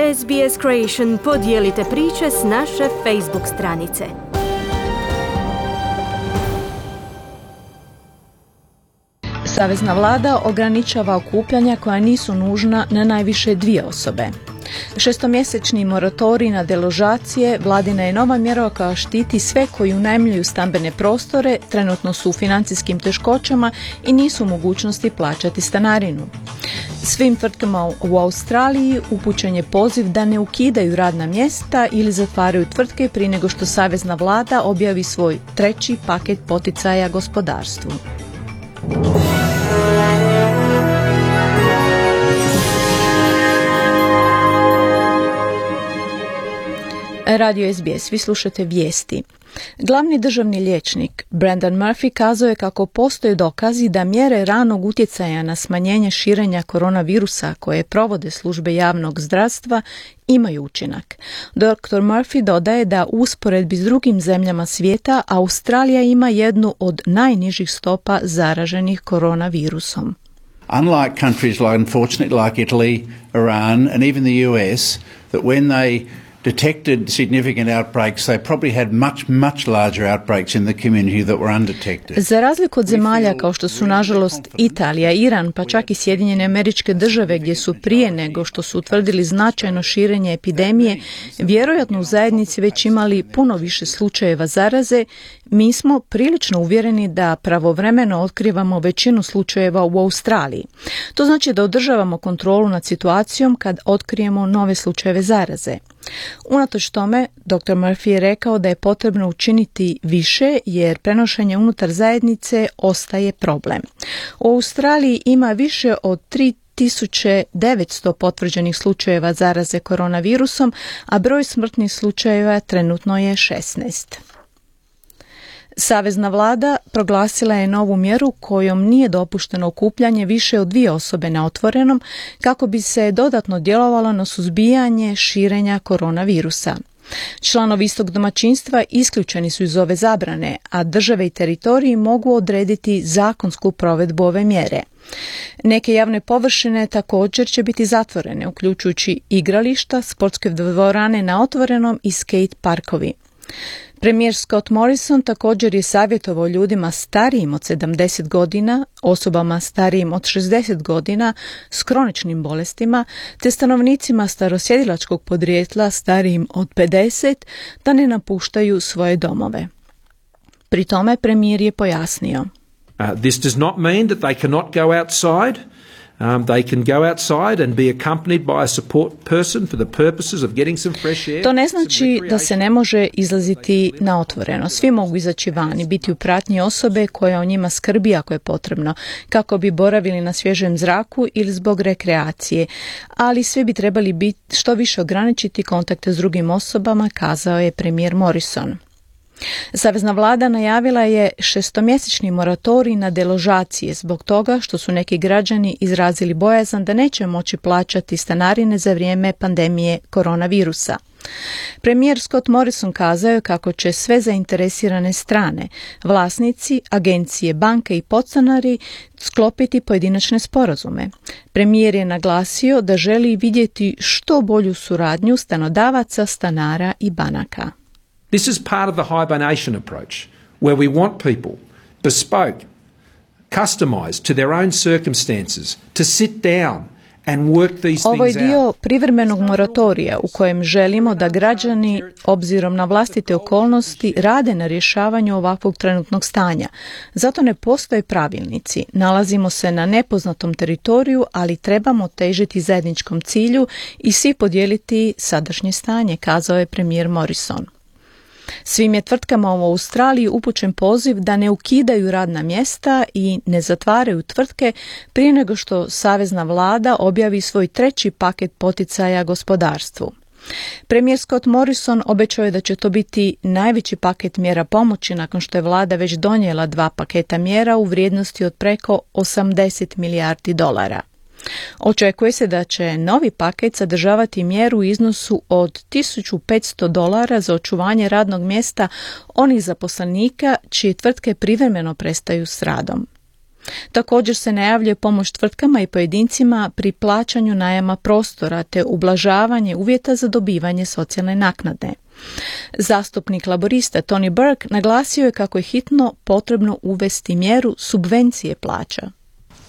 SBS Creation podijelite priče s naše Facebook stranice. Savezna vlada ograničava okupljanja koja nisu nužna na najviše 2 osobe. 6-mjesečni moratorij na deložacije vladina je nova mjera koja štiti sve koji unajmljuju stambene prostore, trenutno su u financijskim teškoćama i nisu u mogućnosti plaćati stanarinu. Svim tvrtkama u Australiji upućen je poziv da ne ukidaju radna mjesta ili zatvaraju tvrtke prije nego što savezna vlada objavi svoj 3. paket poticaja gospodarstvu. Radio SBS, vi slušate vijesti. Glavni državni liječnik Brendan Murphy kazao je kako postoje dokazi da mjere ranog utjecaja na smanjenje širenja koronavirusa koje provode službe javnog zdravstva imaju učinak. Dr. Murphy dodaje da u usporedbi s drugim zemljama svijeta Australija ima jednu od najnižih stopa zaraženih koronavirusom. Unlike countries unfortunately like Italy, Iran and even the US, that when they detected significant outbreaks, they probably had much larger outbreaks in the community that were undetected. Za razliku od zemalja kao što su nažalost Italija, Iran, pa čak i Sjedinjene Američke Države gdje su prije nego što su utvrdili značajno širenje epidemije, vjerojatno u zajednici već imali puno više slučajeva zaraze, mi smo prilično uvjereni da pravovremeno otkrivamo većinu slučajeva u Australiji. To znači da održavamo kontrolu nad situacijom kad otkrijemo nove slučajeve zaraze. Unatoč tome, dr. Murphy je rekao da je potrebno učiniti više jer prenošenje unutar zajednice ostaje problem. U Australiji ima više od 3900 potvrđenih slučajeva zaraze koronavirusom, a broj smrtnih slučajeva trenutno je 16. Savezna vlada proglasila je novu mjeru kojom nije dopušteno okupljanje više od 2 osobe na otvorenom kako bi se dodatno djelovalo na suzbijanje širenja koronavirusa. Članovi istog domaćinstva isključeni su iz ove zabrane, a države i teritoriji mogu odrediti zakonsku provedbu ove mjere. Neke javne površine također će biti zatvorene, uključujući igrališta, sportske dvorane na otvorenom i skate parkovi. Premijer Scott Morrison također je savjetovao ljudima starijim od 70 godina, osobama starijim od 60 godina s kroničnim bolestima, te stanovnicima starosjedilačkog podrijetla starijim od 50 da ne napuštaju svoje domove. Pri tome premijer je pojasnio. This does not mean that they cannot go outside. They can go outside and be accompanied by a support person for the purposes of getting some fresh air. To ne znači da se ne može izlaziti na otvoreno. Svi mogu izaći van i biti u pratnji osobe koja o njima skrbi ako je potrebno, kako bi boravili na svježem zraku ili zbog rekreacije. Ali svi bi trebali biti što više ograničiti kontakte s drugim osobama, kazao je premijer Morrison. Savezna vlada najavila je 6-mjesečni moratorij na deložacije zbog toga što su neki građani izrazili bojazan da neće moći plaćati stanarine za vrijeme pandemije koronavirusa. Premijer Scott Morrison kazao je kako će sve zainteresirane strane, vlasnici, agencije, banke i podstanari sklopiti pojedinačne sporazume. Premijer je naglasio da želi vidjeti što bolju suradnju stanodavaca, stanara i banaka. This is part of the hibernation approach, where we want people, bespoke, customized to their own circumstances, to sit down and work these things out. Ovo je dio privremenog moratorija u kojem želimo da građani, obzirom na vlastite okolnosti, rade na rješavanju ovakvog trenutnog stanja. Zato ne postoje pravilnici. Nalazimo se na nepoznatom teritoriju, ali trebamo težiti zajedničkom cilju i svi podijeliti sadašnje stanje, kazao je premijer Morrison. Svim je tvrtkama u Australiji upućen poziv da ne ukidaju radna mjesta i ne zatvaraju tvrtke prije nego što savezna vlada objavi svoj 3. paket poticaja gospodarstvu. Premijer Scott Morrison obećao je da će to biti najveći paket mjera pomoći nakon što je vlada već donijela 2 paketa mjera u vrijednosti od preko $80 milijardi. Očekuje se da će novi paket sadržavati mjeru u iznosu od $1.500 za očuvanje radnog mjesta onih zaposlenika čije tvrtke privremeno prestaju s radom. Također se najavljuje pomoć tvrtkama i pojedincima pri plaćanju najama prostora te ublažavanje uvjeta za dobivanje socijalne naknade. Zastupnik laborista Tony Burke naglasio je kako je hitno potrebno uvesti mjeru subvencije plaća.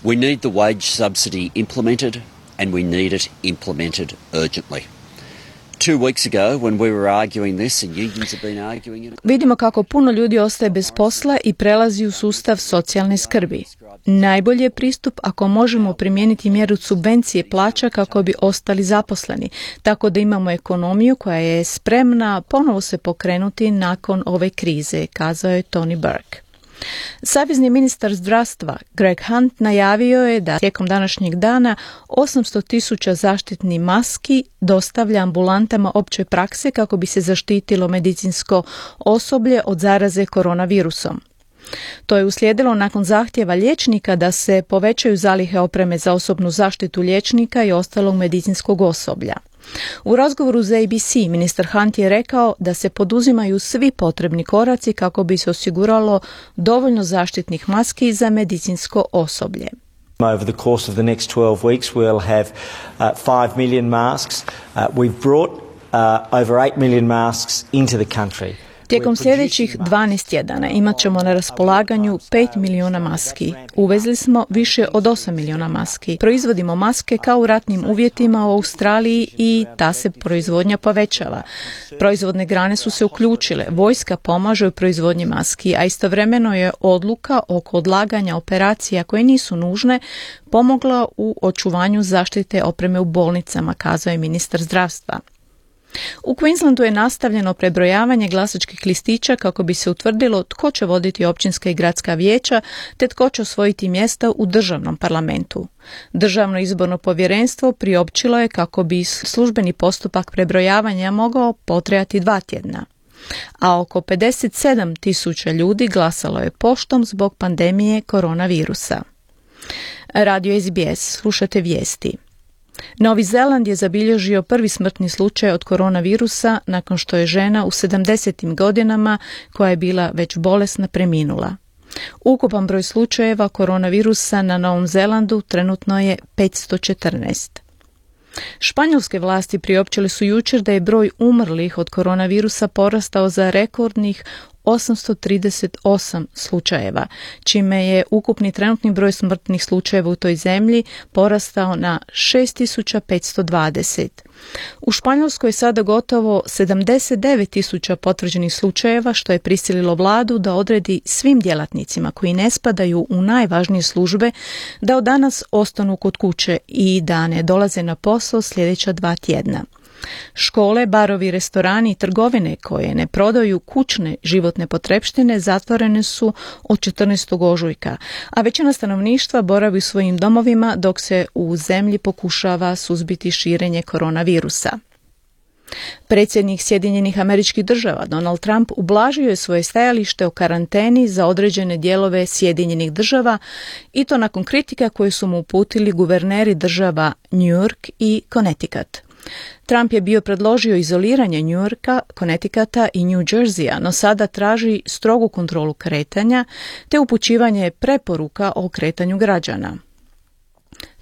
We need the wage subsidy implemented and we need it implemented urgently. 2 weeks ago when we were arguing this and unions have been arguing it. Vidimo kako puno ljudi ostaje bez posla i prelazi u sustav socijalne skrbi. Najbolji je pristup ako možemo primijeniti mjeru subvencije plaća kako bi ostali zaposleni, tako da imamo ekonomiju koja je spremna ponovo se pokrenuti nakon ove krize, kazao je Tony Burke. Savezni ministar zdravstva Greg Hunt najavio je da tijekom današnjeg dana 800.000 zaštitnih maski dostavlja ambulantama opće prakse kako bi se zaštitilo medicinsko osoblje od zaraze koronavirusom. To je uslijedilo nakon zahtjeva liječnika da se povećaju zalihe opreme za osobnu zaštitu liječnika i ostalog medicinskog osoblja. U razgovoru za ABC ministar Hunt je rekao da se poduzimaju svi potrebni koraci kako bi se osiguralo dovoljno zaštitnih maski za medicinsko osoblje. Over the course of the next 12 weeks we'll have 5 million masks. We've brought over 8 million masks into the country. Tijekom sljedećih 12 tjedana imat ćemo na raspolaganju 5 milijuna maski. Uvezli smo više od 8 milijuna maski. Proizvodimo maske kao u ratnim uvjetima u Australiji i ta se proizvodnja povećava. Proizvodne grane su se uključile, vojska pomaže u proizvodnji maski, a istovremeno je odluka oko odlaganja operacija koje nisu nužne pomogla u očuvanju zaštite opreme u bolnicama, kazao je ministar zdravstva. U Queenslandu je nastavljeno prebrojavanje glasačkih listića kako bi se utvrdilo tko će voditi općinska i gradska vijeća te tko će osvojiti mjesta u državnom parlamentu. Državno izborno povjerenstvo priopćilo je kako bi službeni postupak prebrojavanja mogao potrajati 2 tjedna. A oko 57.000 ljudi glasalo je poštom zbog pandemije koronavirusa. Radio SBS, slušate vijesti. Novi Zeland je zabilježio prvi smrtni slučaj od koronavirusa nakon što je žena u 70. godinama koja je bila već bolesna preminula. Ukupan broj slučajeva koronavirusa na Novom Zelandu trenutno je 514. Španjolske vlasti priopćile su jučer da je broj umrlih od koronavirusa porastao za rekordnih 838 slučajeva, čime je ukupni trenutni broj smrtnih slučajeva u toj zemlji porastao na 6520. U Španjolskoj je sada gotovo 79.000 potvrđenih slučajeva, što je prisililo vladu da odredi svim djelatnicima koji ne spadaju u najvažnije službe da od danas ostanu kod kuće i da ne dolaze na posao sljedeća 2 tjedna. Škole, barovi, restorani i trgovine koje ne prodaju kućne životne potrepštine zatvorene su od 14. ožujka, a većina stanovništva boravi u svojim domovima dok se u zemlji pokušava suzbiti širenje koronavirusa. Predsjednik Sjedinjenih Američkih Država Donald Trump ublažio je svoje stajalište o karanteni za određene dijelove Sjedinjenih Država i to nakon kritika koje su mu uputili guverneri država New York i Connecticut. Trump je bio predložio izoliranje New Yorka, Connecticuta i New Jerseya, no sada traži strogu kontrolu kretanja te upućivanje preporuka o kretanju građana.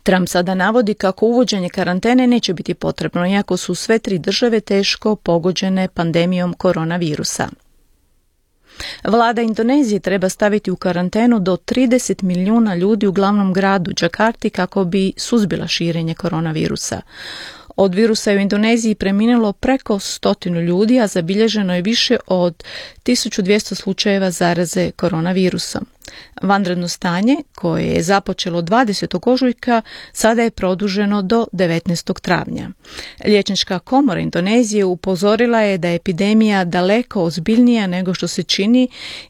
Trump sada navodi kako uvođenje karantene neće biti potrebno, iako su sve 3 države teško pogođene pandemijom koronavirusa. Vlada Indonezije treba staviti u karantenu do 30 milijuna ljudi u glavnom gradu Džakarti kako bi suzbila širenje koronavirusa. Od virusa je u Indoneziji preminulo preko 100 ljudi, a zabilježeno je više od 1200 slučajeva zaraze koronavirusom. Vanredno stanje, koje je započelo 20. ožujka, sada je produženo do 19. travnja. Liječnička komora Indonezije upozorila je da je epidemija daleko ozbiljnija nego što se čini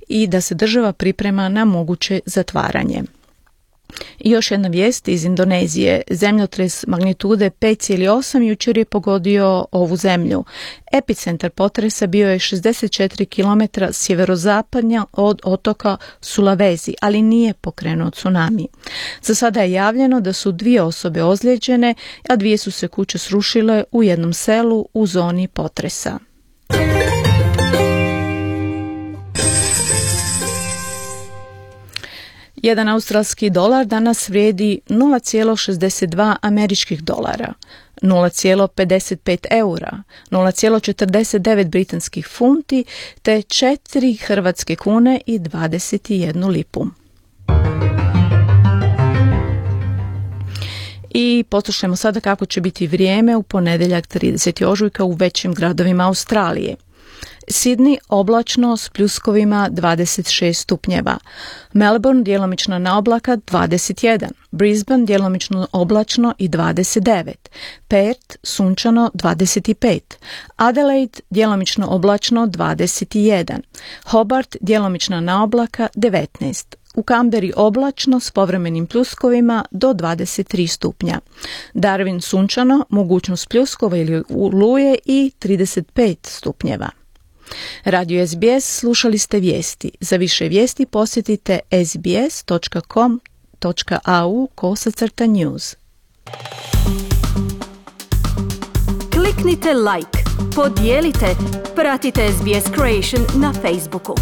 i da se država priprema na moguće zatvaranje. I još jedna vijest iz Indonezije. Zemljotres magnitude 5,8 jučer je pogodio ovu zemlju. Epicentar potresa bio je 64 km sjeverozapadnja od otoka Sulawesi, ali nije pokrenuo tsunami. Za sada je javljeno da su 2 osobe ozlijeđene, a 2 su se kuće srušile u jednom selu u zoni potresa. Jedan australski dolar danas vrijedi 0,62 američkih dolara, 0,55 eura, 0,49 britanskih funti te 4 hrvatske kune i 21 lipu. I poslušajmo sada kako će biti vrijeme u ponedjeljak 30. ožujka u većim gradovima Australije. Sydney oblačno s pljuskovima 26 stupnjeva. Melbourne djelomično na oblaka 21. Brisbane djelomično oblačno i 29. Perth sunčano 25. Adelaide djelomično oblačno 21. Hobart djelomično na oblaka 19. U Canberri oblačno s povremenim pljuskovima do 23 stupnja. Darwin sunčano, mogućnost pljuskova ili oluje i 35 stupnjeva. Radio SBS slušali ste vijesti. Za više vijesti posjetite sbs.com.au/news. Kliknite like, podijelite, pratite SBS Creation na Facebooku.